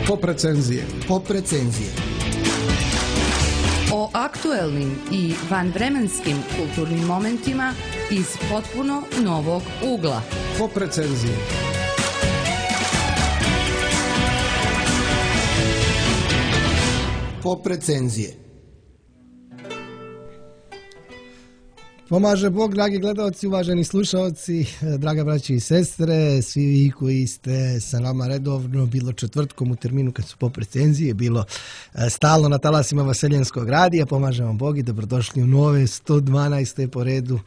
Pop recenzije. Pop recenzije. O aktuelnim i vanvremenskim kulturnim momentima iz potpuno novog ugla. Pop recenzije. Pop recenzije. Pomaže Bog, dragi gledalci, uvaženi slušalci, draga braći i sestre, svi vi koji ste sa nama redovno, bilo četvrtkom u terminu kad su pop recenzije, bilo stalno na talasima Vaseljenskog radija, pomaže vam Bog i dobrodošli u nove 112. po redu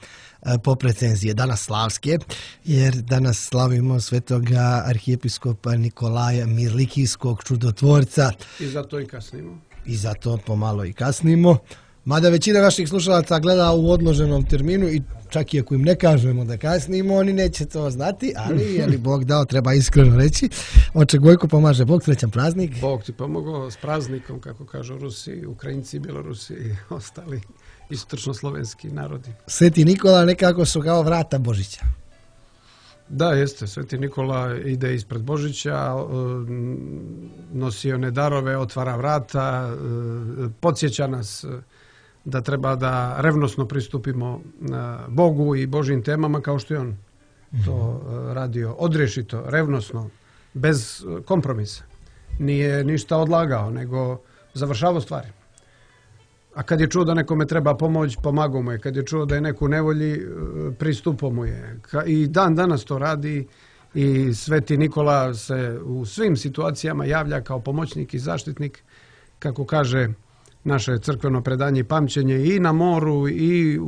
pop recenzije, danas slavske, jer danas slavimo svetoga arhijepiskopa Nikolaja Mirlikijskog čudotvorca. I zato i kasnimo. I zato pomalo i kasnimo. Mada većina naših slušalaca gleda u odloženom terminu i čak i ako im ne kažemo da kasnimo, oni neće to znati, ali je li Bog dao, treba iskreno reći. Oče Gojko, pomaže Bog, srećan praznik. Bog ti pomogao s praznikom, kako kažu Rusi, Ukrajinci, Bjelorusi i ostali istočno-slovenski narodi. Sveti Nikola nekako su kao vrata Božića. Da, jeste. Sveti Nikola ide ispred Božića, nosi one darove, otvara vrata, podsjeća nas da treba da revnosno pristupimo Bogu i Božjim temama kao što je on to radio. Odrješito, revnosno, bez kompromisa. Nije ništa odlagao, nego završavao stvari. A kad je čuo da nekome treba pomoć, pomagao mu je. Kad je čuo da je neko u nevolji, pristupao mu je. I dan danas to radi i Sveti Nikola se u svim situacijama javlja kao pomoćnik i zaštitnik, kako kaže naše crkveno predanje i pamćenje, i na moru i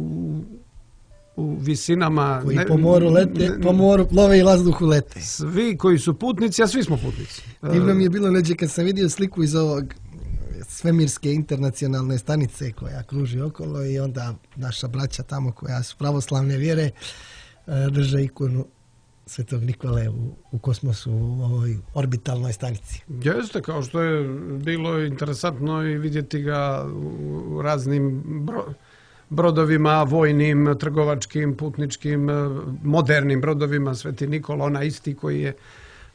u visinama. Koji po moru lete, po moru plove i vazduhu lete. Svi koji su putnici, a svi smo putnici. Divno mi je bilo neđe kad sam vidio sliku iz ovog svemirske internacionalne stanice koja kruži okolo i onda naša braća tamo koja su pravoslavne vjere drže ikonu Svetog Nikole u kosmosu, u ovoj orbitalnoj stanici. Jeste, kao što je bilo interesantno i vidjeti ga u raznim brodovima, vojnim, trgovačkim, putničkim, modernim brodovima. Sveti Nikola, ona isti koji je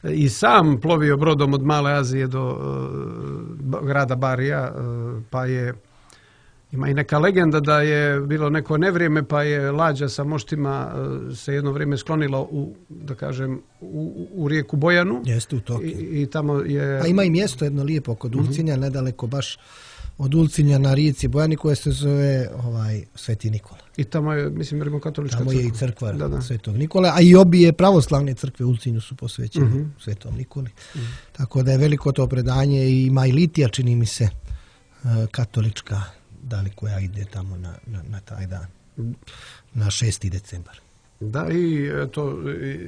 i sam plovio brodom od Male Azije do grada Barija, pa ima i neka legenda da je bilo neko nevrijeme, pa je lađa sa moštima se jedno vrijeme sklonila u rijeku Bojanu. Jeste, u Tokiju. I tamo je... A ima i mjesto jedno lijepo kod Ulcinja, nedaleko baš od Ulcinja na rijeci Bojani, koja se zove Sveti Nikola. I tamo je, mislim, rimokatolička crkva. Tamo je i crkva Svetog Nikole, a i obje pravoslavne crkve u Ulcinju su posvećene Svetom Nikoli. Tako da je veliko to predanje i ima i litija, čini mi se, katolička, da li koja ide tamo na taj dan, na 6. decembar. Da,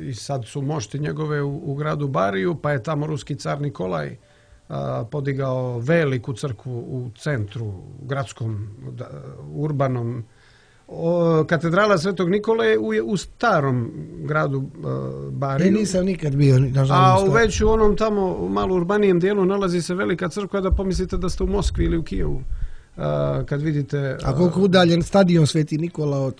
i sad su mošti njegove u gradu Bariju, pa je tamo ruski car Nikolaj podigao veliku crkvu u centru, gradskom, urbanom. Katedrala Svetog Nikole je u starom gradu Bariju. Nisam nikad bio, nažalost. A već u onom tamo malo urbanijem dijelu nalazi se velika crkva, da pomislite da ste u Moskvi ili u Kijevu. Kad vidite... A koliko udaljen stadion Sveti Nikola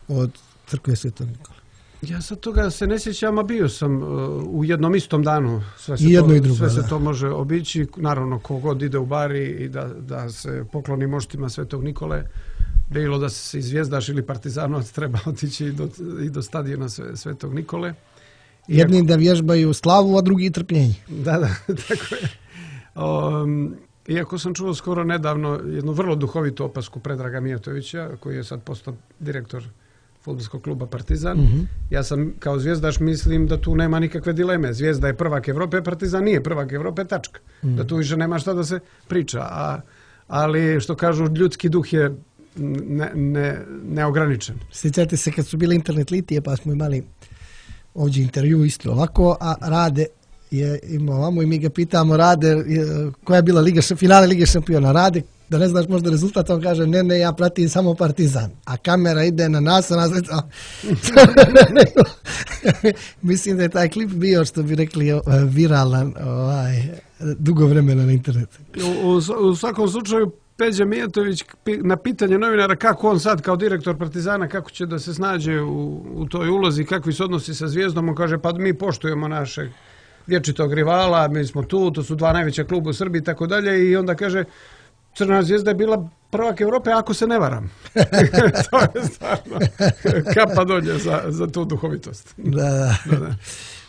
od crkve Svetog Nikola? Ja sad toga se ne sjećam, a bio sam u jednom istom danu. Sve se to može obići. Naravno, kogod ide u Bari i da se pokloni moštima Svetog Nikole, bilo da se Zvijezdaš ili Partizanovac, treba otići i do stadiona Svetog Nikole. Jedni da vježbaju slavu, a drugi trpljenje. Da, tako je. Iako sam čuo skoro nedavno jednu vrlo duhovitu opasku Predraga Mijatovića, koji je sad postao direktor fudbalskog kluba Partizan. Ja sam kao zvijezdaš mislim da tu nema nikakve dileme. Zvijezda je prvak Evrope, Partizan nije prvak Evrope, tačka. Da tu više nema šta da se priča. Ali što kažu, ljudski duh je neograničen. Sjećate se kad su bile internet litije, pa smo imali ovdje intervju isto ovako, a Rade je imao ovamo i mi ga pitamo, Rade, koja je bila finale Lige šampiona? Rade, da ne znaš možda rezultat, on kaže, ne, ja pratim samo Partizan. A kamera ide na nas, mislim da je taj klip bio, što bi rekli, viralan dugo vremena na internetu. U svakom slučaju, Peđa Mijatović na pitanje novinara kako on sad kao direktor Partizana, kako će da se snađe u toj ulozi, kakvi se odnosi sa Zvijezdom, on kaže, pa mi poštujemo našeg vječitog rivala, mi smo tu, to su 2 najveća kluba u Srbiji i tako dalje, i onda kaže Crvena Zvijezda je bila prvak Europe, ako se ne varam. To je stvarno kapa dolje za tu duhovitost. Da.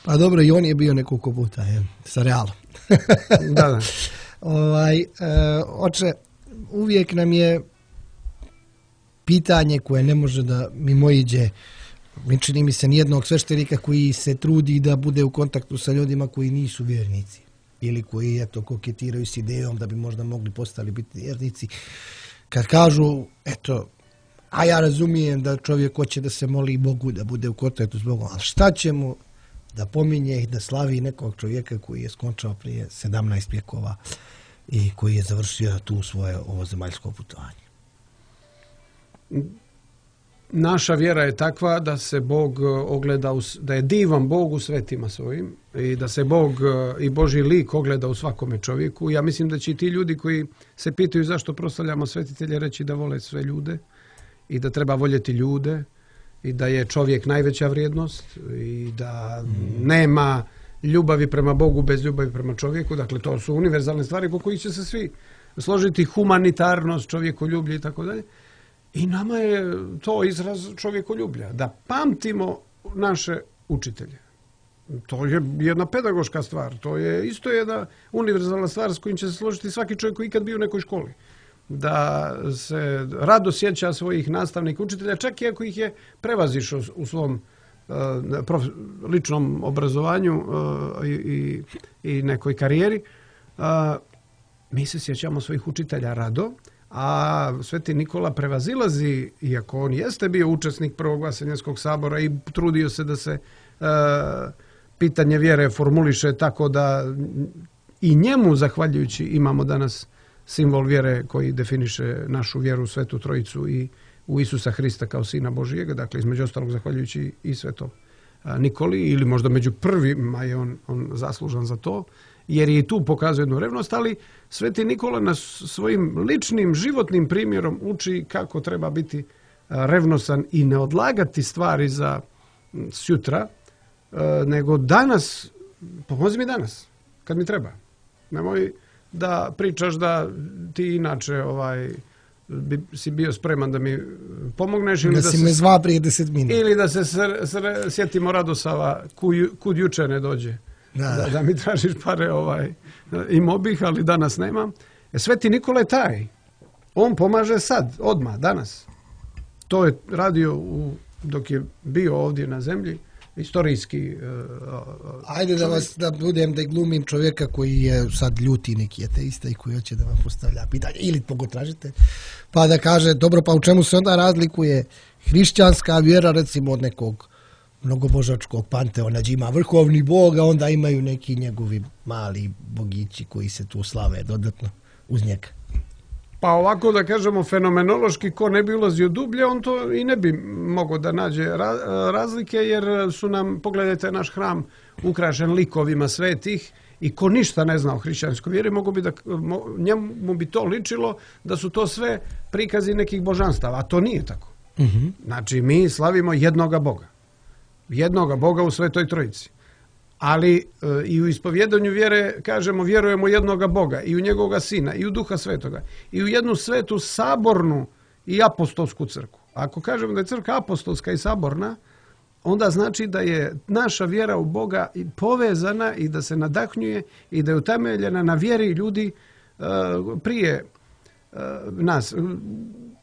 Pa dobro, i on je bio nekoliko puta sa Realom. Da. Oče, uvijek nam je pitanje koje ne može da mimoiđe, čini mi se nijednog sveštenika koji se trudi da bude u kontaktu sa ljudima koji nisu vjernici ili koji koketiraju s idejom da bi možda mogli postali biti vjernici. Kad kažu, a ja razumijem da čovjek hoće da se moli Bogu, da bude u kontaktu s Bogom, ali šta će mu da pominje i da slavi nekog čovjeka koji je skončao prije 17 vjekova i koji je završio tu svoje ovozemaljsko putovanje? Naša vjera je takva da se Bog ogleda, da je divan Bog u svetima svojim i da se Bog i Božji lik ogleda u svakome čovjeku. Ja mislim da će i ti ljudi koji se pitaju zašto proslavljamo svetitelje reći da vole sve ljude i da treba voljeti ljude i da je čovjek najveća vrijednost i da nema ljubavi prema Bogu bez ljubavi prema čovjeku. Dakle, to su univerzalne stvari po kojih će se svi složiti, humanitarnost, čovjekoljublje i tako dalje. I nama je to izraz čovjekoljublja, da pamtimo naše učitelje. To je jedna pedagoška stvar, to je isto jedna univerzalna stvar s kojim će se složiti svaki čovjek koji ikad bio u nekoj školi. Da se rado sjeća svojih nastavnika, učitelja, čak i ako ih je prevazišao u svom ličnom obrazovanju i nekoj karijeri. Mi se sjećamo svojih učitelja rado, a Sveti Nikola prevazilazi, iako on jeste bio učesnik Prvog Vaseljenskog sabora i trudio se da se pitanje vjere formuliše tako da i njemu, zahvaljujući, imamo danas simbol vjere koji definiše našu vjeru u Svetu Trojicu i u Isusa Hrista kao Sina Božijega, dakle između ostalog zahvaljujući i Svetom Nikoli, ili možda među prvima je on zaslužan za to, jer je i tu pokazuje jednu revnost, ali Sveti Nikola nas svojim ličnim životnim primjerom uči kako treba biti revnosan i ne odlagati stvari za sutra, nego danas, pomozi mi danas, kad mi treba. Nemoj da pričaš da ti inače si bio spreman da mi pomogneš ili da si me zva prije 10 minuta. Ili da se sjetimo Radosava kud juče ne dođe. Da mi tražiš pare, imao bih, ali danas nemam. Sveti Nikola je taj. On pomaže sad, odmah, danas. To je radio dok je bio ovdje na zemlji, istorijski. Ajde da glumim čovjeka koji je sad ljuti neki ateista i koji hoće da vam postavlja pitanje, ili koga tražite, pa da kaže, dobro, pa u čemu se onda razlikuje hrišćanska vjera recimo od nekog mnogobožačkog panteona, gdje ima vrhovni bog, a onda imaju neki njegovi mali bogići koji se tu slave dodatno uz njega. Pa ovako da kažemo fenomenološki, ko ne bi ulazio dublje, on to i ne bi mogao da nađe razlike, jer su nam, pogledajte, naš hram ukrašen likovima svetih i ko ništa ne zna o hrišćanskoj vjeri, njemu bi to ličilo da su to sve prikazi nekih božanstava, a to nije tako. Znači, mi slavimo jednoga Boga. Jednoga Boga u Svetoj Trojici. Ali i u ispovjedanju vjere kažemo vjerujemo jednoga Boga i u njegovoga Sina i u Duha Svetoga i u jednu svetu sabornu i apostolsku crkvu. Ako kažemo da je crkva apostolska i saborna, onda znači da je naša vjera u Boga povezana i da se nadahnjuje i da je utemeljena na vjeri ljudi prije nas.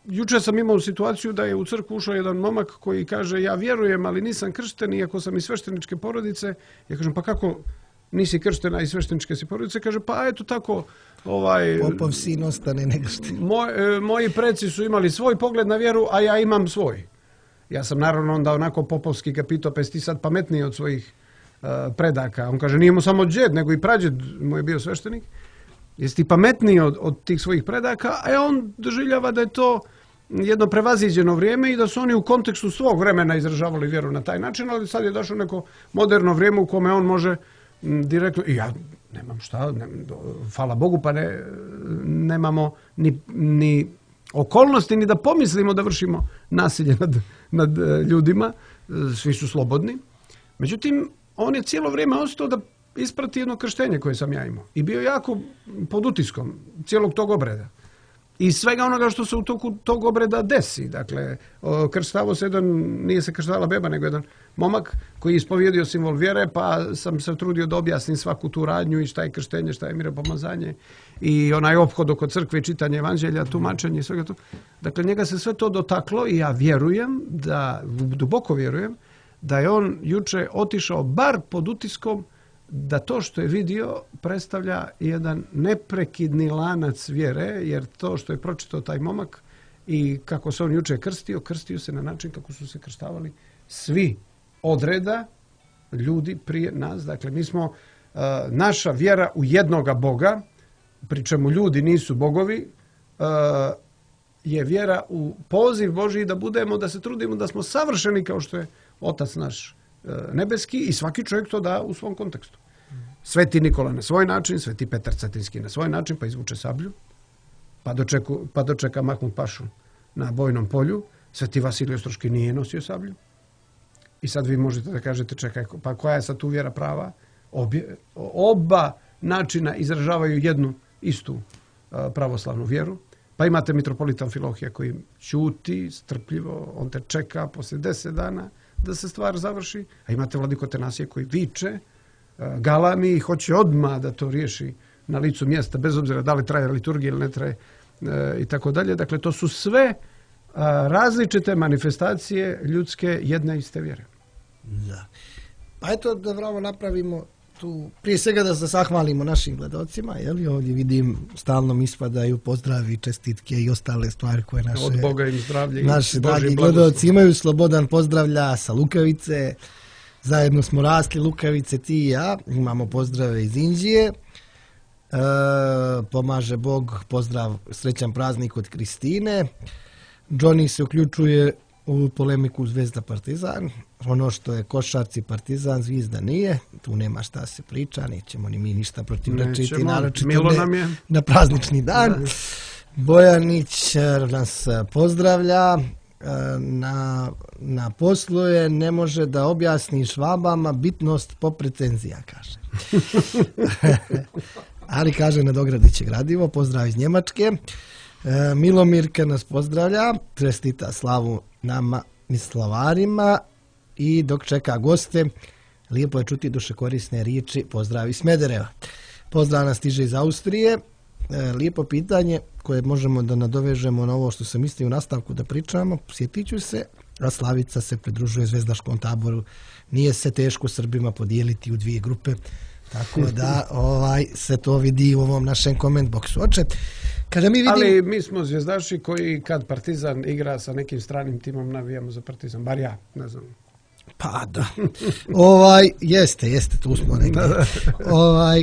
Juče sam imao situaciju da je u crkvu ušao jedan momak koji kaže ja vjerujem, ali nisam kršten, iako sam iz svešteničke porodice. Ja kažem, pa kako nisi krštena iz svešteničke si porodice? Kaže, pa eto tako... Popov sin ostane nego što... Moji preci su imali svoj pogled na vjeru, a ja imam svoj. Ja sam naravno onda onako popovski ga pitao, pa jesi ti sad pametniji od svojih predaka? On kaže, nije mu samo džed, nego i prađed mu je bio sveštenik. Jesi ti pametniji od tih svojih predaka, a on doživljava da je to jedno prevaziđeno vrijeme i da su oni u kontekstu svog vremena izražavali vjeru na taj način, ali sad je došlo neko moderno vrijeme u kome on može direktno, i ja nemam šta, hvala Bogu, pa nemamo ni okolnosti ni da pomislimo da vršimo nasilje nad ljudima, svi su slobodni. Međutim, on je cijelo vrijeme ostao da isprati jedno krštenje koje sam ja imao. I bio jako pod utiskom cijelog tog obreda. I svega onoga što se u toku tog obreda desi. Dakle, krštavo se jedan, nije se krštavala beba, nego jedan momak koji je ispovjedio simbol vjere, pa sam se trudio da objasnim svaku tu radnju i šta je krštenje, šta je miropomazanje i onaj ophod oko crkve i čitanje evanđelja, tumačenje i svega to. Dakle, njega se sve to dotaklo i ja vjerujem, duboko vjerujem, da je on juče otišao bar pod utiskom da to što je vidio predstavlja jedan neprekidni lanac vjere, jer to što je pročitao taj momak i kako se on juče krstio se na način kako su se krštavali svi od reda ljudi prije nas. Dakle, mi smo, naša vjera u jednoga Boga, pri čemu ljudi nisu bogovi, je vjera u poziv Božji da se trudimo da smo savršeni kao što je Otac naš nebeski i svaki čovjek to da u svom kontekstu. Sveti Nikola na svoj način, Sveti Petar Cetinski na svoj način, pa izvuče sablju, pa dočeka Mahmud Pašu na bojnom polju. Sveti Vasilij Ostroški nije nosio sablju. I sad vi možete da kažete, čekaj, pa koja je sad tu vjera prava? Oba načina izražavaju jednu istu pravoslavnu vjeru. Pa imate mitropolita Amfilohija koji ćuti strpljivo, on te čeka poslije 10 dana da se stvar završi, a imate Vladiko Atanasije koji viče, galami i hoće odmah da to riješi na licu mjesta, bez obzira da li traje liturgija ili ne traje i tako dalje. Dakle, to su sve različite manifestacije ljudske jedne iste vjere. Da. Pa eto da vravo napravimo tu, prije svega da se zahvalimo našim gledalcima, ovdje vidim stalno mi ispadaju pozdravi, čestitke i ostale stvari koje od Boga im zdravlje, naši dragi gledalci imaju. Slobodan pozdravlja sa Lukavice, zajedno smo rasli Lukavice, ti i ja, imamo pozdrave iz Inđije, pomaže Bog, pozdrav, srećan praznik od Kristine. Johnny se uključuje u polemiku Zvezda Partizan, ono što je košarci Partizan, Zvizda nije, tu nema šta se priča, nećemo ni mi ništa protivrečiti, naročito na praznični dan. Da. Bojanić nas pozdravlja, na poslu je, ne može da objasni Švabama bitnost poprecenzija, kaže. Ali kaže nadogradiće gradivo, pozdrav iz Njemačke. Milomirka nas pozdravlja, čestita slavu nama i slavarima i dok čeka goste, lijepo je čuti dušekorisne riječi, pozdrav iz Smedereva. Pozdrav nas stiže iz Austrije, lijepo pitanje koje možemo da nadovežemo na ovo što sam mislio u nastavku da pričamo, sjetit ću se, a Slavica se pridružuje zvezdaškom taboru, nije se teško Srbima podijeliti u 2 grupe, tako da se to vidi u ovom našem koment boksu. Ali mi smo zvijezdaši koji kad Partizan igra sa nekim stranim timom navijamo za Partizan, bar ja, ne znam. Pa da. Jeste, tu smo negdje.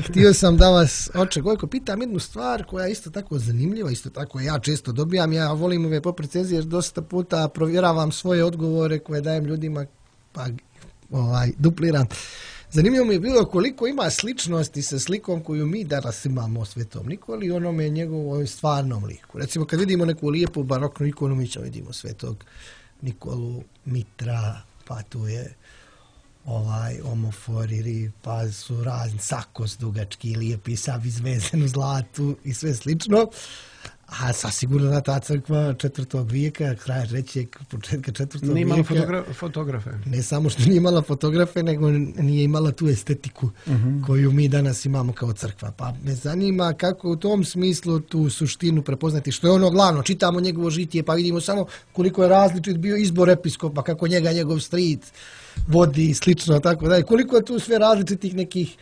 Htio sam da vas, oče Gojko, pitam jednu stvar koja je isto tako zanimljiva, isto tako ja često dobijam, ja volim ove poprecenzije jer dosta puta provjeravam svoje odgovore koje dajem ljudima, pa dupliram. Zanimljivo mi je bilo koliko ima sličnosti sa slikom koju mi danas imamo o Svetom Nikoli i onome njegovoj stvarnom liku. Recimo kad vidimo neku lijepu baroknu ikonu, mi ćemo vidimo Svetog Nikolu, Mitra, pa tu je omoforiri, pa su razni sakos dugački, lijepi, sav izvezen u zlatu i sve slično. A sasigurno da ta crkva 4. vijeka, kraja 3. početka 4. vijeka. Nije imala fotografe. Ne samo što nije imala fotografe, nego nije imala tu estetiku koju mi danas imamo kao crkva. Pa me zanima kako u tom smislu tu suštinu prepoznati, što je ono glavno. Čitamo njegovo žitije pa vidimo samo koliko je različit bio izbor episkopa, kako njegov stric vodi i slično, tako da. Koliko je tu sve različitih nekih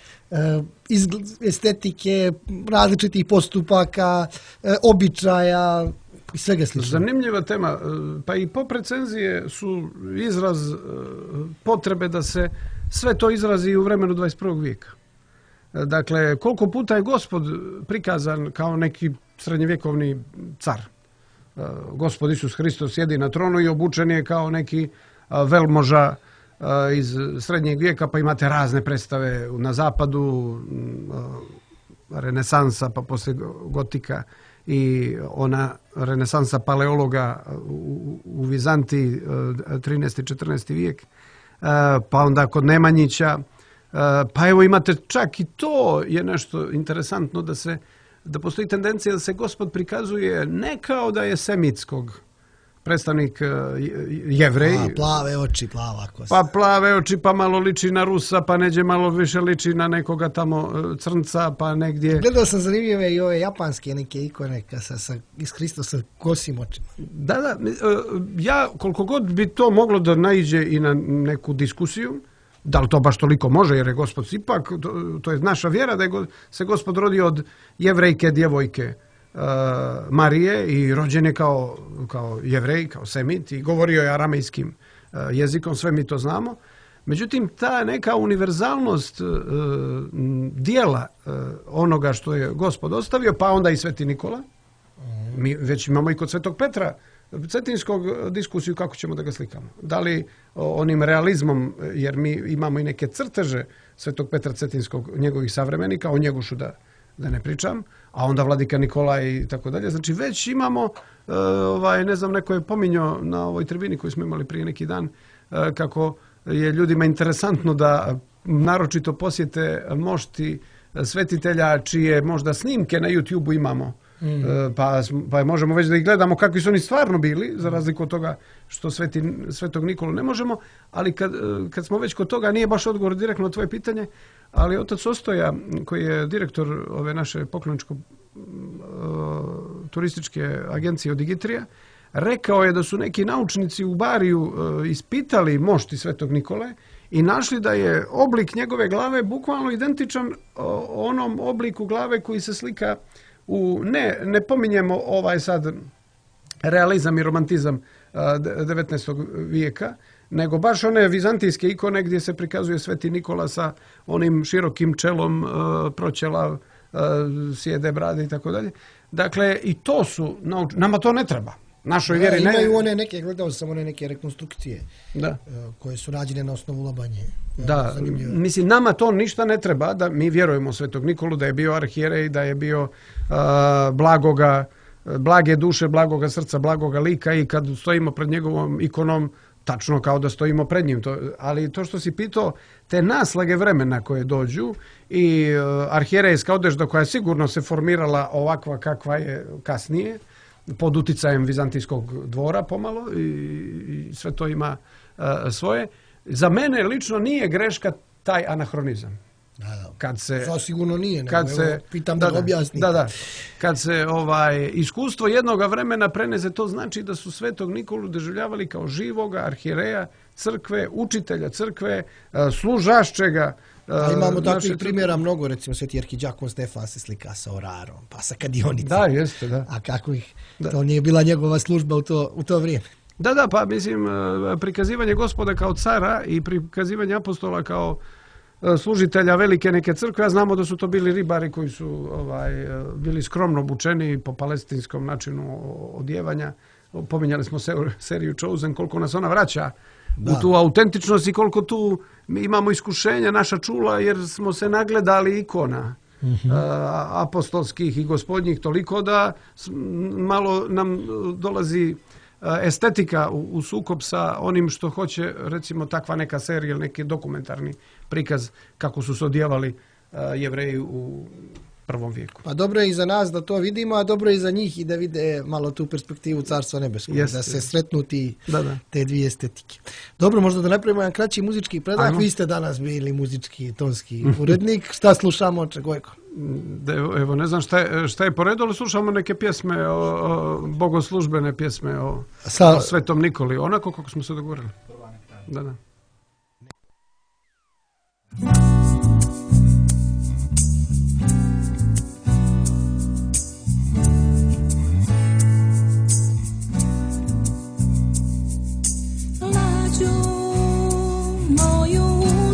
estetike, različitih postupaka, običaja i svega slično. Zanimljiva tema. Pa i poprecenzije su izraz potrebe da se sve to izrazi u vremenu 21. vijeka. Dakle, koliko puta je Gospod prikazan kao neki srednjevjekovni car. Gospod Isus Hristos sjedi na tronu i obučen je kao neki velmoža iz srednjeg vijeka, pa imate razne predstave na zapadu, renesansa, pa poslije gotika i ona renesansa paleologa u Vizantiji, 13. i 14. vijek, pa onda kod Nemanjića Pa evo imate čak i to je nešto interesantno da postoji tendencija da se Gospod prikazuje ne kao da je semitskog predstavnik Jevrej. Plave oči, plava kosa. Pa plave oči, pa malo liči na Rusa, pa neđe malo više liči na nekoga tamo crnca, pa negdje... Gledao sam zanimljive i ove japanske neke ikone iz Hrista sa kosim očima. Da, ja koliko god bi to moglo da naiđe i na neku diskusiju, da li to baš toliko može, jer je Gospod ipak, to je naša vjera, da se Gospod rodio od jevrejke djevojke Marije i rođen je kao Jevrej, kao semit i govorio je aramejskim jezikom, sve mi to znamo. Međutim, ta neka univerzalnost dijela onoga što je Gospod ostavio, pa onda i Sveti Nikola, mi već imamo i kod Svetog Petra Cetinskog diskusiju kako ćemo da ga slikamo. Da li onim realizmom, jer mi imamo i neke crteže Svetog Petra Cetinskog, njegovih savremenika, o Njegošu da ne pričam, a onda Vladika Nikolaj i tako dalje. Znači već imamo, ne znam, neko je pominjao na ovoj tribini koju smo imali prije neki dan, kako je ljudima interesantno da naročito posjete mošti svetitelja čije možda snimke na YouTube-u imamo. Pa možemo već da ih gledamo kakvi su oni stvarno bili, za razliku od toga što Svetog Nikolu ne možemo, ali kad smo već kod toga, nije baš odgovor direktno na tvoje pitanje, ali otac Ostoja, koji je direktor ove naše pokloničko-turističke agencije Odigitrija, rekao je da su neki naučnici u Bariju ispitali mošti Svetog Nikole i našli da je oblik njegove glave bukvalno identičan onom obliku glave koji se slika ne pominjemo sad realizam i romantizam 19. vijeka, nego baš one vizantijske ikone gdje se prikazuje Sveti Nikola sa onim širokim čelom, proćelav, sjede brade i tako dalje. Dakle, i to su, nama to ne treba. Našoj vjeri ne. Imaju gledao sam one neke rekonstrukcije koje su rađene na osnovu Labanje. Da, mislim, nama to ništa ne treba, da mi vjerujemo Svetog Nikolu, da je bio arhijerej, da je bio blage duše, blagoga srca, blagoga lika i kad stojimo pred njegovom ikonom, tačno kao da stojimo pred njim. Ali to što si pitao, te naslage vremena koje dođu i arhijerejska odežda koja sigurno se formirala ovakva kakva je kasnije, pod uticajem vizantijskog dvora pomalo i sve to ima svoje. Za mene lično nije greška taj anahronizam. To sigurno nije, pitam da ga objasnim. Kad se iskustvo jednoga vremena prenese, to znači da su Svetog Nikolu doživljavali kao živoga arhijereja crkve, učitelja crkve, služašćega. Imamo takvih primjera mnogo, recimo Sveti arhidjakon Stefan se slika sa orarom, pa sa kadionicom. Da, jeste, da. A kako to nije bila njegova služba u to vrijeme? Da, pa mislim, prikazivanje Gospoda kao cara i prikazivanje apostola kao služitelja velike neke crkve, a znamo da su to bili ribari koji su bili skromno obučeni po palestinskom načinu odjevanja. Pominjali smo seriju Chosen, koliko nas ona vraća u tu autentičnost i koliko tu imamo iskušenja naša čula, jer smo se nagledali ikona apostolskih i gospodnjih toliko da malo nam dolazi estetika u sukob sa onim što hoće, recimo, takva neka serija ili neki dokumentarni prikaz kako su se odjevali Jevreji u prvom vijeku. Pa dobro je i za nas da to vidimo, a dobro je i za njih i da vide malo tu perspektivu Carstva nebeskog, da se sretnu te dvije estetike. Dobro, možda da napravimo jedan kraći muzički predah. Vi ste danas bili muzički tonski urednik. Šta slušamo? Evo, ne znam šta je po redu, ali slušamo neke pjesme, bogoslužbene pjesme o Svetom Nikoli, onako kako smo se dogovorili. Da.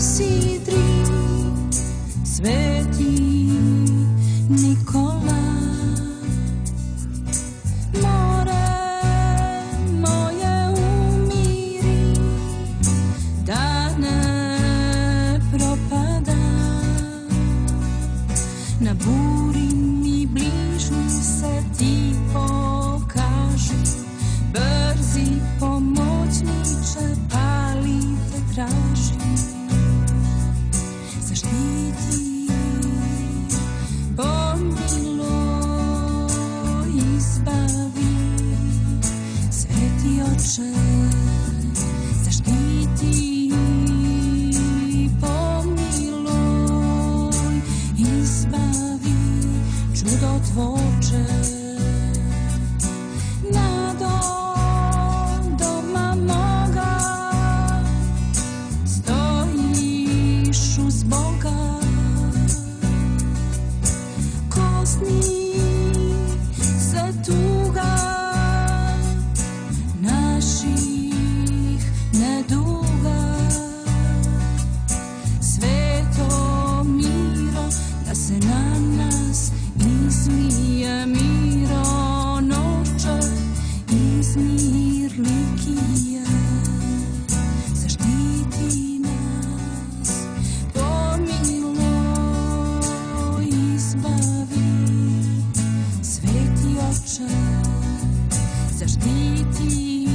Sidri, Sveti Nikola, more moje umiri, da ne propada, na buri mi bližnji se ti pokaži, brzi pomoćniče, pali te traži. zaštiti, pomiluj, izbavi, Sveti Oče, zaštiti, pomiluj, izbavi, čudotvorče. Nado doma moga stojiš uz Boga, kosni se tuga naših neduga. Sveto miro, da se na nas izlije miro noće, izmir likije, zaštiti nas, pomiluj, izbavi, Sveti Oče, zaštiti,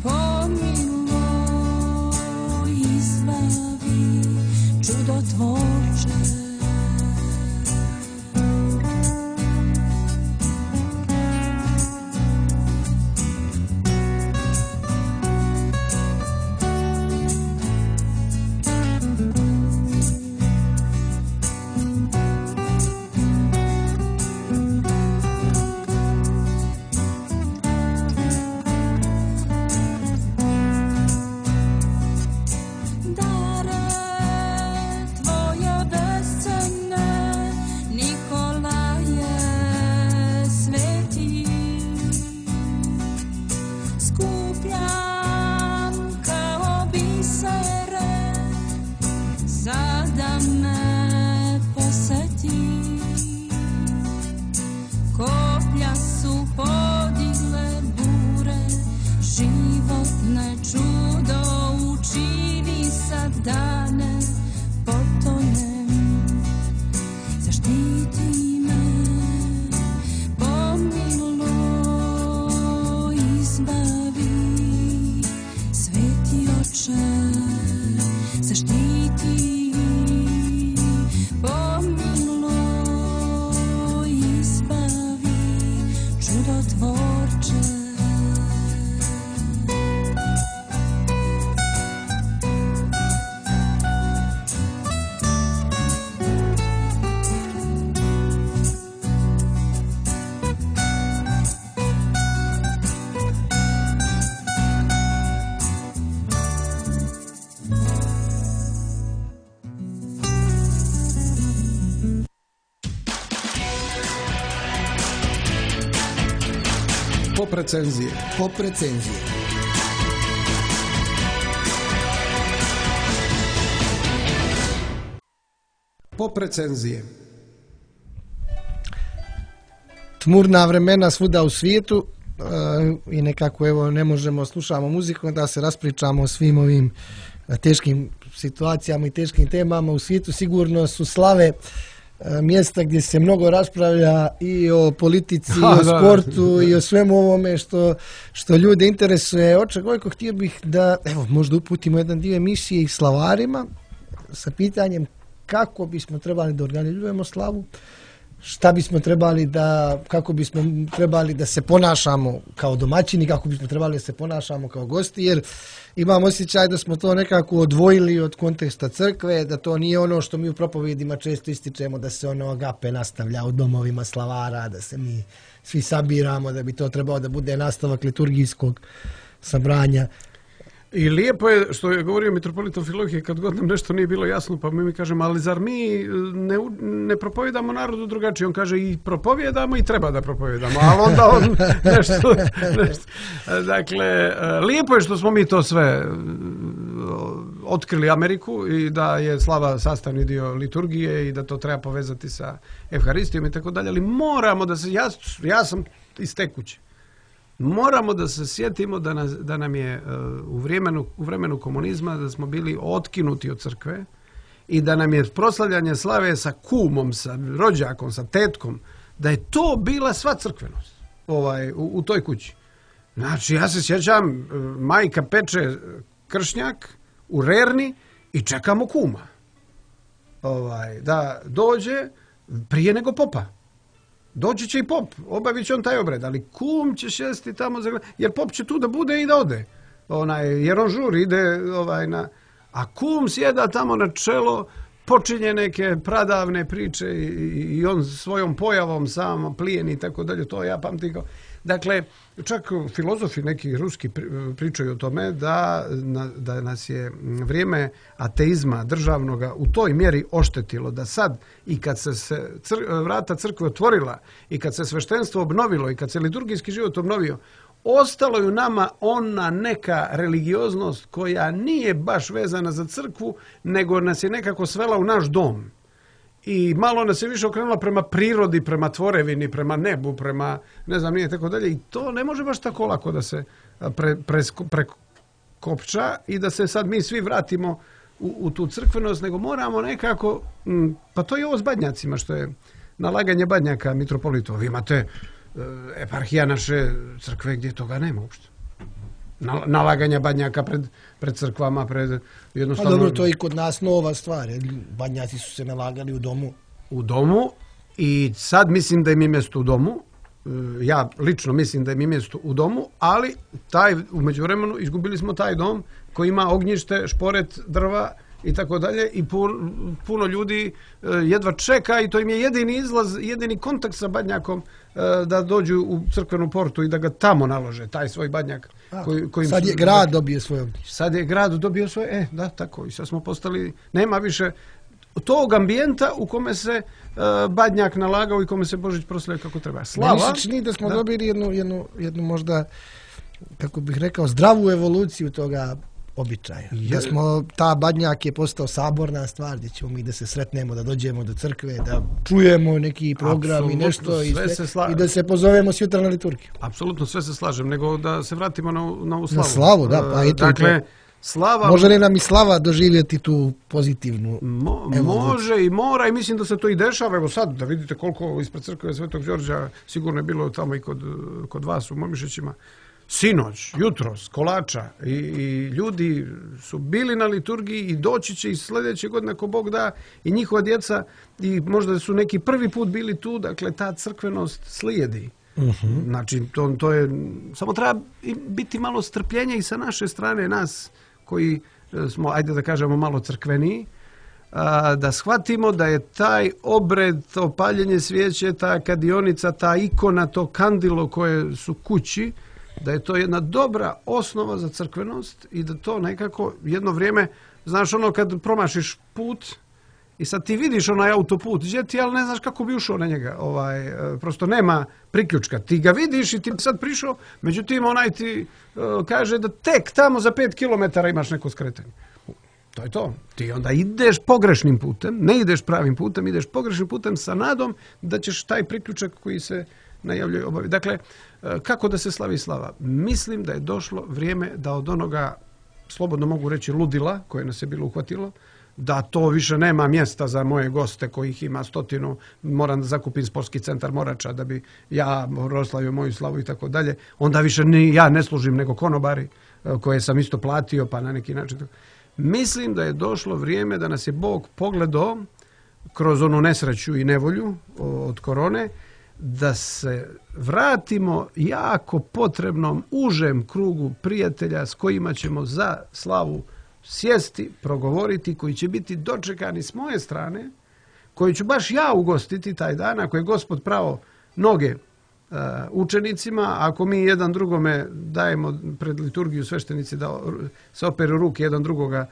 pomiluj, izbavi, čudotvorče. Pop recenzije. Pop recenzije. Pop recenzije. Tmurna vremena svuda u svijetu i nekako evo ne možemo, slušamo muziku da se raspričamo o svim ovim teškim situacijama i teškim temama u svijetu. Sigurno su slave mjesta gdje se mnogo raspravlja i o politici, i o sportu i o svemu ovome što ljude interesuje. Oče Gojko, htio bih da evo možda uputimo jedan dio emisije i slavarima sa pitanjem kako bismo trebali da organizujemo slavu, šta bismo trebali da, kako bismo trebali da se ponašamo kao domaćini, kako bismo trebali da se ponašamo kao gosti, jer imam osjećaj da smo to nekako odvojili od konteksta crkve, da to nije ono što mi u propovedima često ističemo, da se ono agape nastavlja u domovima slavara, da se mi svi sabiramo, da bi to trebao da bude nastavak liturgijskog sabranja. I lijepo je što je govorio mitropolit Amfilohije, kad god nam nešto nije bilo jasno, pa mi kažemo, ali zar mi ne propovijedamo narodu drugačije? On kaže, i propovijedamo i treba da propovijedamo, ali onda on nešto. Dakle, lijepo je što smo mi to sve otkrili Ameriku i da je slava sastavni dio liturgije i da to treba povezati sa Evharistijom i tako dalje, ali moramo da se, ja sam iz te kuće. Moramo da se sjetimo da nam je u vremenu komunizma da smo bili otkinuti od crkve i da nam je proslavljanje slave sa kumom, sa rođakom, sa tetkom, da je to bila sva crkvenost u toj kući. Znači, ja se sjećam, majka peče kršnjak u rerni i čekamo kuma. da dođe prije nego popa. Doći će i pop, obavit će on taj obred, ali kum će šesti tamo, jer pop će tu da bude i da ode. Jer on žuri, ide a kum sjeda tamo na čelo, počinje neke pradavne priče i on svojom pojavom sam plijeni i tako dalje, to ja pamtim kao. Dakle, čak filozofi neki ruski pričaju o tome da nas je vrijeme ateizma državnoga u toj mjeri oštetilo, da sad i kad se vrata crkve otvorila i kad se sveštenstvo obnovilo i kad se liturgijski život obnovio, ostalo je u nama ona neka religioznost koja nije baš vezana za crkvu, nego nas je nekako svela u naš dom. I malo nas je više okrenula prema prirodi, prema tvorevini, prema nebu, prema ne znam nije tako dalje. I to ne može baš tako lako da se prekopča i da se sad mi svi vratimo u tu crkvenost, nego moramo nekako, pa to je ovo s badnjacima, što je nalaganje badnjaka mitropolitu. Vi imate eparhija naše crkve gdje toga nema uopšte. Nalaganja badnjaka pred crkvama, pred jednostavno... Pa dobro, to je i kod nas nova stvar. Badnjaci su se nalagali u domu. U domu i sad mislim da im je mjesto u domu. Ja lično mislim da im je mjesto u domu, ali u međuvremenu izgubili smo taj dom koji ima ognjište, šporet, drva i tako dalje i puno ljudi jedva čeka i to im je jedini izlaz, jedini kontakt sa badnjakom da dođu u crkvenu portu i da ga tamo nalože, taj svoj badnjak. Sad je grad dobio svoje ognjište. Sad je grad dobio svoje, da, tako. I sad smo postali, nema više tog ambijenta u kome se badnjak nalagao i kome se Božić proslavio kako treba. Slava. Meni se čini da smo dobili jednu možda, kako bih rekao, zdravu evoluciju toga običaja. Da smo, ta badnjak je postao saborna stvar gdje ćemo mi da se sretnemo, da dođemo do crkve, da čujemo neki program i nešto i da se pozovemo sutra na liturgiju. Apsolutno sve se slažem, nego da se vratimo na ovu slavu. Na slavu, da, pa i to. Dakle, slava... Može li nam i slava doživjeti tu pozitivnu evoluciju? Može i mora i mislim da se to i dešava. Evo sad, da vidite koliko ispred crkve Svetog Đorđa sigurno je bilo tamo i kod vas u Momišićima. Sinoć, jutros, kolača i ljudi su bili na liturgiji i doći će i sljedeće godine ako Bog da i njihova djeca i možda su neki prvi put bili tu, dakle ta crkvenost slijedi. Znači to je, samo treba biti malo strpljenja i sa naše strane nas koji smo, ajde da kažemo, malo crkveniji, da shvatimo da je taj obred, to paljenje svijeće, ta kadionica, ta ikona, to kandilo koje su kući, da je to jedna dobra osnova za crkvenost i da to nekako jedno vrijeme, znaš ono kad promašiš put i sad ti vidiš onaj autoput gdje ti, ali ne znaš kako bi ušao na njega. Prosto nema priključka. Ti ga vidiš i ti sad prišao, međutim onaj ti kaže da tek tamo za 5 km imaš neko skretanje. To je to. Ti onda ideš pogrešnim putem, ne ideš pravim putem, ideš pogrešnim putem sa nadom da ćeš taj priključak koji se najavljuje obaviti. Dakle, kako da se slavi slava? Mislim da je došlo vrijeme da od onoga, slobodno mogu reći, ludila koje nas je bilo uhvatilo, da to više nema mjesta za moje goste kojih ima 100, moram da zakupim sportski centar Morača da bi ja proslavio moju slavu i tako dalje. Onda više ni ja ne služim nego konobari koje sam isto platio pa na neki način. Mislim da je došlo vrijeme da nas je Bog pogledao kroz onu nesreću i nevolju od korone, da se vratimo jako potrebnom užem krugu prijatelja s kojima ćemo za slavu sjesti, progovoriti, koji će biti dočekani s moje strane, koji ću baš ja ugostiti taj dan, ako je Gospod pravo noge učenicima, ako mi jedan drugome dajemo pred liturgiju sveštenici da se operu ruke jedan drugoga,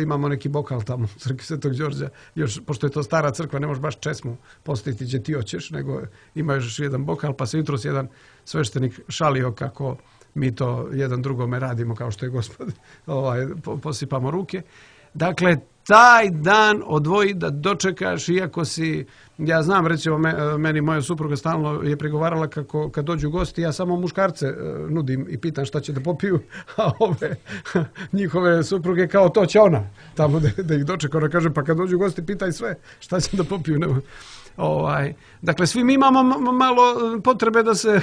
imamo neki bokal tamo u crkvi Svetog Đorđa, još, pošto je to stara crkva, ne možeš baš česmu postaviti gdje ti hoćeš, nego ima još jedan bokal, pa se jutros jedan sveštenik šalio kako mi to jedan drugome radimo, kao što je Gospod, posipamo ruke. Dakle, taj dan odvoji da dočekaš, iako si, ja znam, recimo, meni moja supruga stalno je prigovarala kako kad dođu gosti, ja samo muškarce nudim i pitam šta će da popiju, a ove njihove supruge kao to će ona tamo da ih dočeka. Ona kaže, pa kad dođu gosti pitaj sve šta će da popiju. Dakle, svi mi imamo malo potrebe da se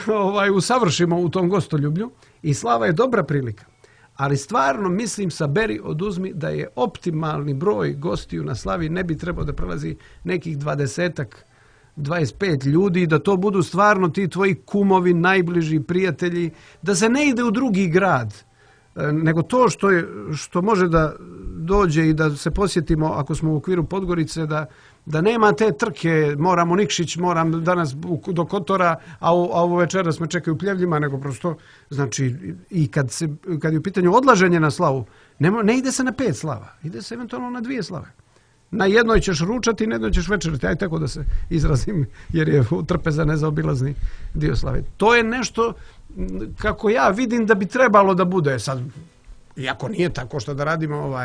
usavršimo u tom gostoljublju i slava je dobra prilika. Ali stvarno mislim, saberi, oduzmi, da je optimalni broj gostiju na slavi ne bi trebao da prelazi nekih 25 ljudi, da to budu stvarno ti tvoji kumovi, najbliži prijatelji, da se ne ide u drugi grad, nego to što može da dođe i da se posjetimo ako smo u okviru Podgorice, da nema te trke, moram u Nikšić, moram danas do Kotora, a ovo večeras me čekaju u Pljevljima, nego prosto, znači, i kad je u pitanju odlaženje na slavu, ne ide se na 5 slava, ide se eventualno na 2 slave. Na jednoj ćeš ručati, na jednoj ćeš večerati, aj tako da se izrazim, jer je trpeza nezaobilazni dio slave. To je nešto kako ja vidim da bi trebalo da bude. Sad, iako nije tako što da radimo,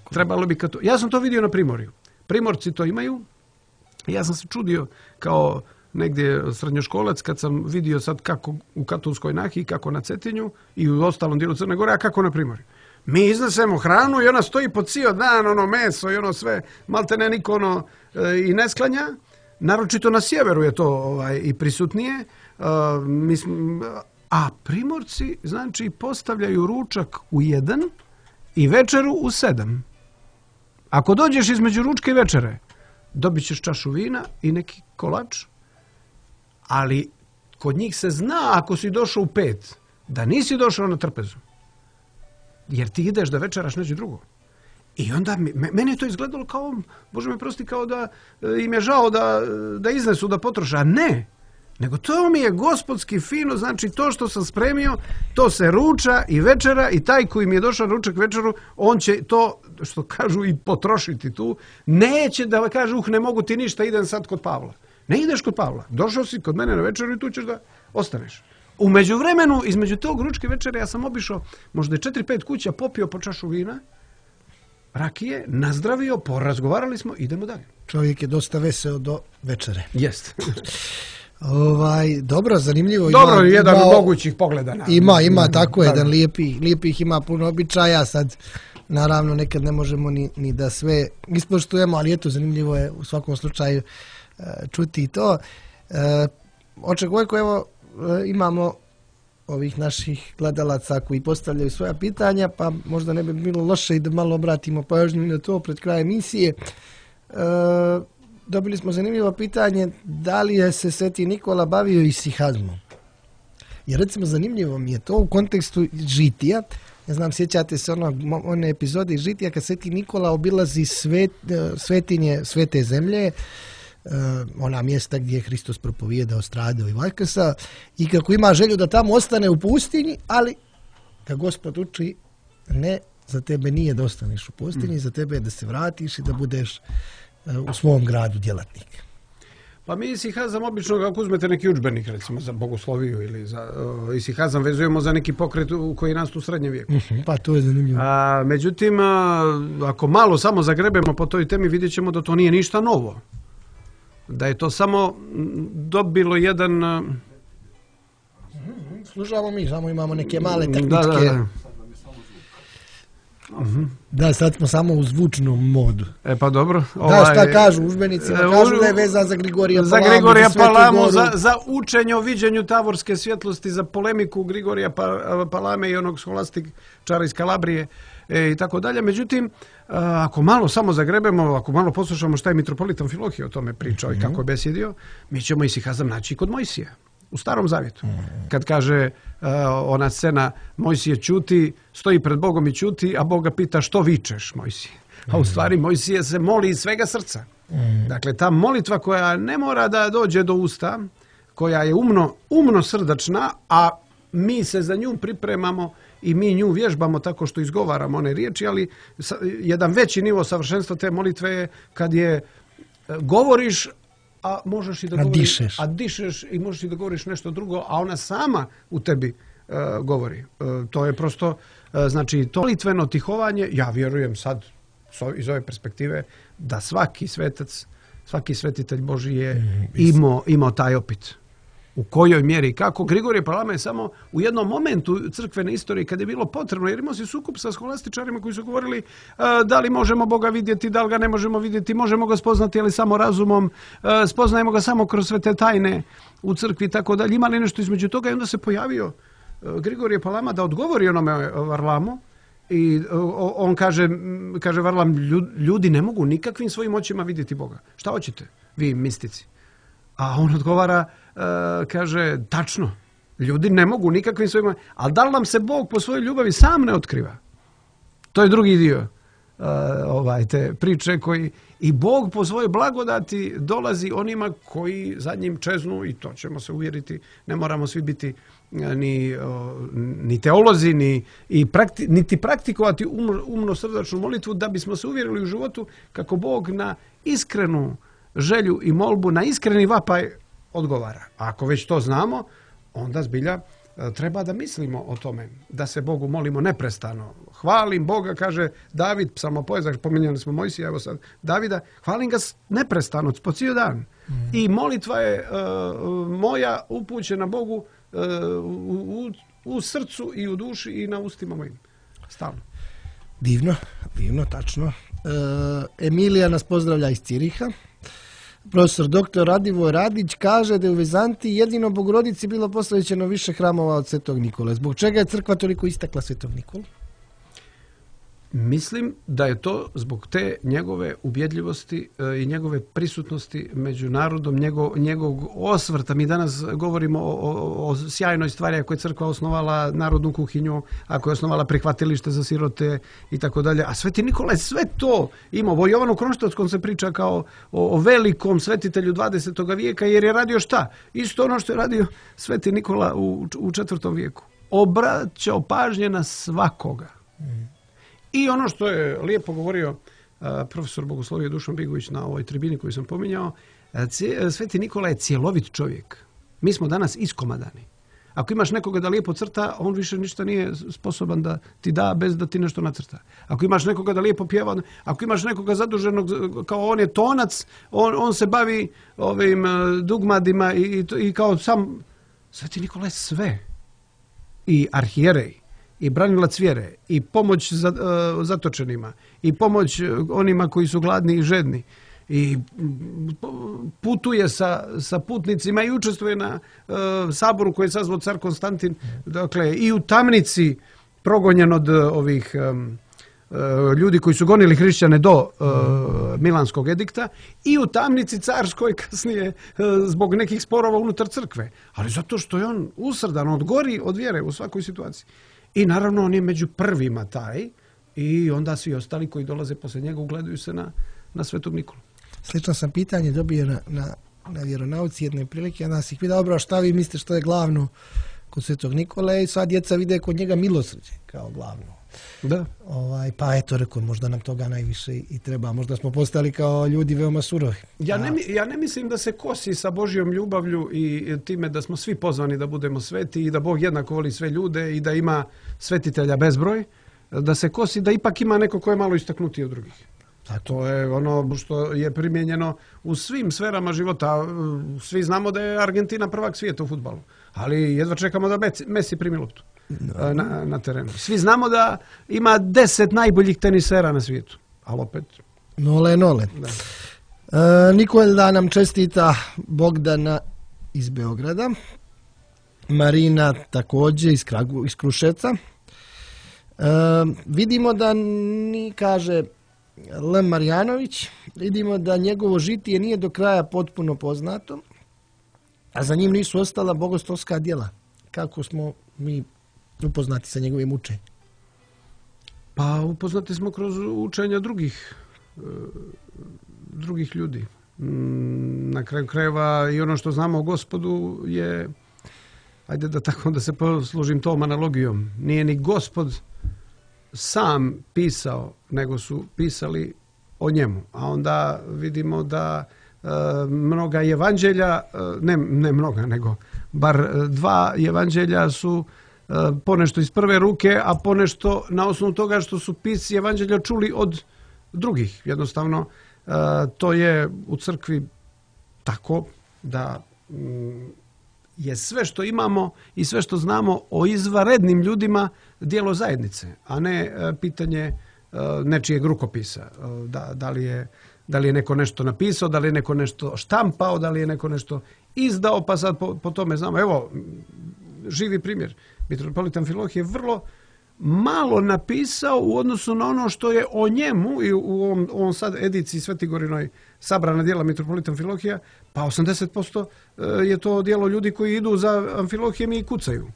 trebalo bi to. Ja sam to vidio na Primorju. Primorci to imaju. Ja sam se čudio kao negdje srednjoškolac kad sam vidio sad kako u Katunskoj Nahiji, kako na Cetinju i u ostalom dijelu Crne Gore, a kako na Primorju. Mi iznesemo hranu i ona stoji po cijel dan, ono meso i ono sve, malte ne niko i ne sklanja. Naročito na sjeveru je to i prisutnije. A Primorci, znači, postavljaju ručak u 1 i večeru u 7. Ako dođeš između ručka i večere, dobit ćeš čašu vina i neki kolač, ali kod njih se zna ako si došao u 5, da nisi došao na trpezu. Jer ti ideš da večeraš neđe drugo. I onda meni je to izgledalo kao, Bože me prosti, kao da im je žao da iznesu, da potroše. A ne, nego to mi je gospodski fino, znači to što sam spremio, to se ruča i večera i taj koji mi je došao na ručak večeru, on će to, što kažu, i potrošiti tu. Neće da kaže, ne mogu ti ništa, idem sad kod Pavla. Ne ideš kod Pavla, došao si kod mene na večeru i tu ćeš da ostaneš. U međuvremenu, između tog ručke večere, ja sam obišao možda 4-5 kuća, popio po čašu vina, rakije, nazdravio, porazgovarali smo, idemo dalje. Čovjek je dosta veseo do večere. Jest. Dobro, zanimljivo. Dobro, jedan od mogućih pogleda. Ima tako jedan lijepih, ima puno običaja, sad naravno nekad ne možemo ni da sve ispoštujemo, ali eto, zanimljivo je u svakom slučaju čuti i to. Oče Gojko, evo, imamo ovih naših gledalaca koji postavljaju svoja pitanja, pa možda ne bi bilo loše i da malo obratimo pažnju na to pred kraj emisije. Dobili smo zanimljivo pitanje, da li je se Sveti Nikola bavio isihazmom? Jer recimo zanimljivo mi je to u kontekstu žitija. Ne znam, sjećate se one epizode iz žitija kad Sveti Nikola obilazi svetinje svete zemlje, ona mjesta gdje je Hristos propovijedao, stradao i vaskrsao, i kako ima želju da tamo ostane u pustinji, ali kad Gospod uči, ne, za tebe nije da ostaneš u pustinji, za tebe je da se vratiš i da budeš u svom gradu djelatnik. Pa mi isihazam obično, ako uzmete neki udžbenik, recimo za bogosloviju ili za isihazam, vezujemo za neki pokret koji nastu u srednjem vijeku. Pa to je zanimljivo. Međutim, ako malo samo zagrebemo po toj temi, vidjet ćemo da to nije ništa novo. Da je to samo dobilo jedan... Slušamo mi, samo imamo neke male tehničke... Da, sad smo samo u zvučnom modu. Pa dobro. Šta kažu udžbenici? Kažu da je vezan za Grigorija Palamu. Za Grigorija Palamu, za učenje o viđenju tavorske svjetlosti, za polemiku Grigorija Palame i onog scholastičara iz Kalabrije i tako dalje. Međutim, ako malo samo zagrebemo, ako malo poslušamo šta je mitropolitan Amfilohije o tome pričao i kako je besjedio, mi ćemo isihazam naći kod Mojsija. U Starom Zavjetu. Kad kaže ona scena, Mojsije ćuti, stoji pred Bogom i ćuti, a Bog ga pita što vičeš, Mojsije. A u stvari Mojsije se moli iz svega srca. Dakle, ta molitva koja ne mora da dođe do usta, koja je umno srdačna, a mi se za nju pripremamo i mi nju vježbamo tako što izgovaramo one riječi, ali jedan veći nivo savršenstva te molitve je kad je govoriš, a možeš i da govoriš, a dišeš i možeš i da govoriš nešto drugo, a ona sama u tebi govori. To je prosto, znači, to molitveno tihovanje, ja vjerujem sad iz ove perspektive da svaki svetac, svaki svetitelj Božji je imao taj opit. U kojoj mjeri i kako. Grigorije Palama je samo u jednom momentu crkvene istorije kad je bilo potrebno, jer imao si sukob sa scholastičarima koji su govorili da li možemo Boga vidjeti, da li ga ne možemo vidjeti, možemo ga spoznati, ali samo razumom, spoznajemo ga samo kroz sve te tajne u crkvi i tako dalje. Ima li nešto između toga? I onda se pojavio Grigorije Palama da odgovori onome Varlamu i on kaže Varlam, ljudi ne mogu nikakvim svojim očima vidjeti Boga. Šta hoćete vi mistici? A on odgovara, kaže, tačno, ljudi ne mogu nikakvim svojim, ali da li nam se Bog po svojoj ljubavi sam ne otkriva? To je drugi dio te priče koji i Bog po svojoj blagodati dolazi onima koji za njim čeznu i to ćemo se uvjeriti. Ne moramo svi biti ni teolozi, niti praktikovati umno srdačnu molitvu da bismo se uvjerili u životu kako Bog na iskrenu želju i molbu, na iskreni vapaj odgovara. A ako već to znamo, onda zbilja treba da mislimo o tome, da se Bogu molimo neprestano. Hvalim Boga, kaže David, psalmopojezak, pominjali smo Mojsija, evo sad Davida, hvalim ga neprestano, po cijeli dan. I molitva je moja upućena Bogu u srcu i u duši i na ustima mojim. Stalno. Divno, tačno. Emilija nas pozdravlja iz Ciriha. Profesor dr. Radivoj Radić kaže da je u Vizantiji jedino Bogorodici bilo posvećeno više hramova od Svetog Nikole. Zbog čega je crkva toliko istakla Svetog Nikolu? Mislim da je to zbog te njegove ubjedljivosti i njegove prisutnosti među narodom, njegovog osvrta. Mi danas govorimo o sjajnoj stvari ako je crkva osnovala narodnu kuhinju, ako je osnovala prihvatilište za sirote i tako dalje. A Sveti Nikola je sve to imao. O Jovanu Kronštatskom se priča kao o velikom svetitelju 20. vijeka jer je radio šta? Isto ono što je radio Sveti Nikola u 4. vijeku. Obraćao pažnje na svakoga. I ono što je lijepo govorio profesor bogoslovije Dušan Bigović na ovoj tribini koju sam pominjao, Sveti Nikola je cjelovit čovjek. Mi smo danas iskomadani. Ako imaš nekoga da lijepo crta, on više ništa nije sposoban da ti da bez da ti nešto nacrta. Ako imaš nekoga da lijepo pjeva, ako imaš nekoga zaduženog kao on je tonac, on se bavi ovim dugmadima i kao sam Sveti Nikola je sve. I arhijerej, i branilac vjere, i pomoć zatočenima, i pomoć onima koji su gladni i žedni, i putuje sa putnicima i učestvuje na saboru koji je sazvao car Konstantin, dakle i u tamnici progonjen od ovih ljudi koji su gonili hrišćane do Milanskog edikta i u tamnici carskoj kasnije zbog nekih sporova unutar crkve. Ali zato što je on usrdan, on gori od vjere u svakoj situaciji. I naravno on je među prvima taj i onda svi ostali koji dolaze poslije njega ugledaju se na Svetog Nikolu. Slično sam pitanje dobio na vjeronauci jedne prilike, onda si ih pitao, dobro, šta vi mislite što je glavno kod Svetog Nikole i sva djeca vide kod njega milosrđe kao glavno. Da. Pa eto, rekao, možda nam toga najviše i treba. Možda smo postali kao ljudi veoma surovi. Ja ne mislim da se kosi sa Božjom ljubavlju i time da smo svi pozvani da budemo sveti i da Bog jednako voli sve ljude i da ima svetitelja bezbroj, da se kosi da ipak ima neko ko je malo istaknutiji od drugih. A to je ono što je primijenjeno u svim sferama života. Svi znamo da je Argentina prvak svijeta u fudbalu, ali jedva čekamo da Messi primi loptu na terenu. Svi znamo da ima 10 najboljih tenisera na svijetu, ali opet... Nole. Nikola nam čestita Bogdana iz Beograda, Marina također iz Kruševca. Vidimo da kaže L. Marjanović, vidimo da njegovo žitije nije do kraja potpuno poznato, a za njim nisu ostala bogoslovska djela. Kako smo mi upoznati sa njegovim učenjem? Pa upoznati smo kroz učenja drugih ljudi. Na kraju krajeva i ono što znamo o Gospodu je, ajde da se poslužim tom analogijom, nije ni Gospod sam pisao, nego su pisali o njemu. A onda vidimo da mnoga evanđelja, ne mnoga, nego bar 2 evanđelja su ponešto iz prve ruke, a ponešto na osnovu toga što su pisci evanđelja čuli od drugih. Jednostavno, to je u crkvi tako da je sve što imamo i sve što znamo o izvanrednim ljudima djelo zajednice, a ne pitanje nečijeg rukopisa. Da li je neko nešto napisao, da li je neko nešto štampao, da li je neko nešto izdao, pa sad po tome znamo. Evo, živi primjer. Mitropolitan Filohije vrlo malo napisao u odnosu na ono što je o njemu i u ovom sad ediciji Svetigorinoj sabrana djela Mitropolitan Filohija, pa 80% je to djelo ljudi koji idu za Amfilohijem i kucaju.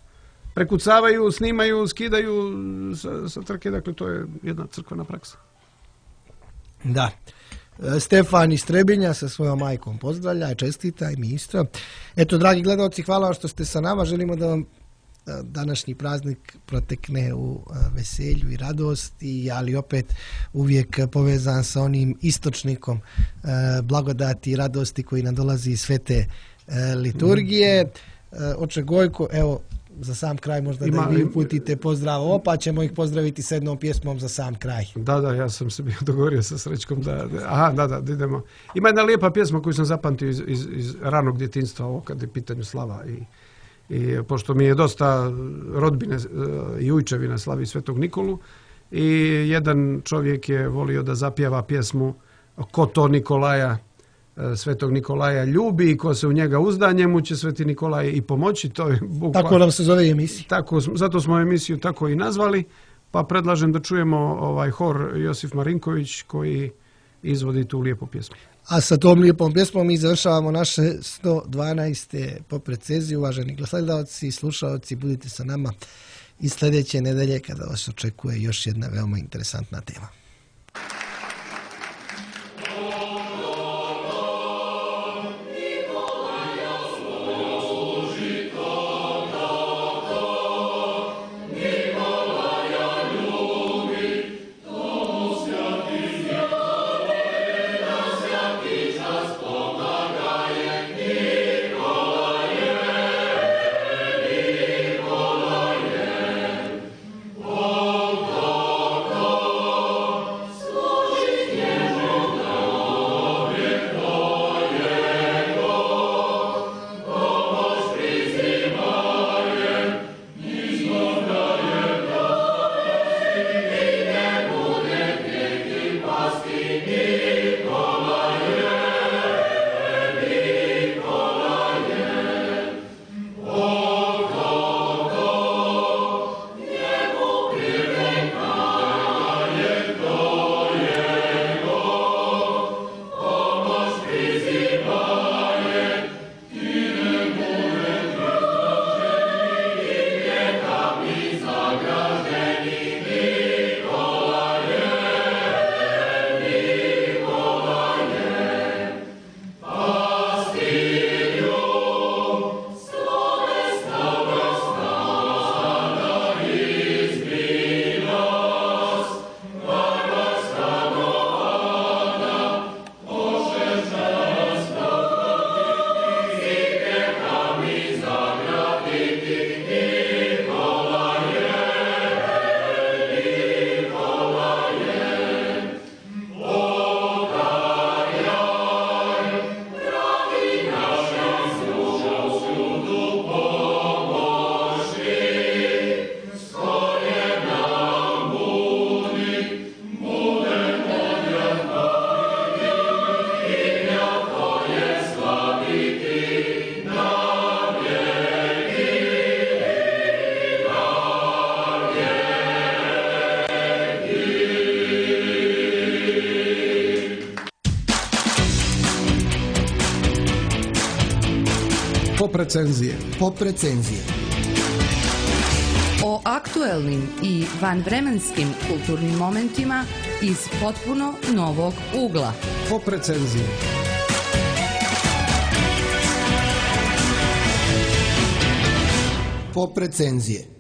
Prekucavaju, snimaju, skidaju sa trke, dakle to je jedna crkvena praksa. Da. Stefan iz Trebinja sa svojom majkom pozdravlja i čestita i mi isto. Eto, dragi gledalci, hvala vam što ste sa nama. Želimo da vam današnji praznik protekne u veselju i radosti, ali opet uvijek povezan sa onim istočnikom blagodati i radosti koji nam dolazi iz svete liturgije. Oče Gojko, evo, za sam kraj možda da vi uputite pozdrav, pa ćemo ih pozdraviti s jednom pjesmom za sam kraj. Da, ja sam se bio dogovorio sa Srećkom da idemo. Ima jedna lijepa pjesma koju sam zapamtio iz ranog djetinjstva, ovo kad je pitanju slava i pošto mi je dosta rodbine i ujčevina slavi Svetog Nikolu i jedan čovjek je volio da zapjeva pjesmu Ko to Nikolaja, Svetog Nikolaja ljubi i ko se u njega uzda, njemu će Sveti Nikolaj i pomoći. To je tako nam se zove emisija. Tako, zato smo emisiju tako i nazvali, pa predlažem da čujemo hor Josif Marinković koji izvodi tu lijepu pjesmu. A sa tom lijepom pjesmom mi završavamo naše 112. poprecenzije. Uvaženi gledalci i slušalci, budite sa nama i sljedeće nedelje kada vas očekuje još jedna veoma interesantna tema. Poprecenzije. O aktuelnim i vanvremenskim kulturnim momentima iz potpuno novog ugla. Poprecenzije. Poprecenzije.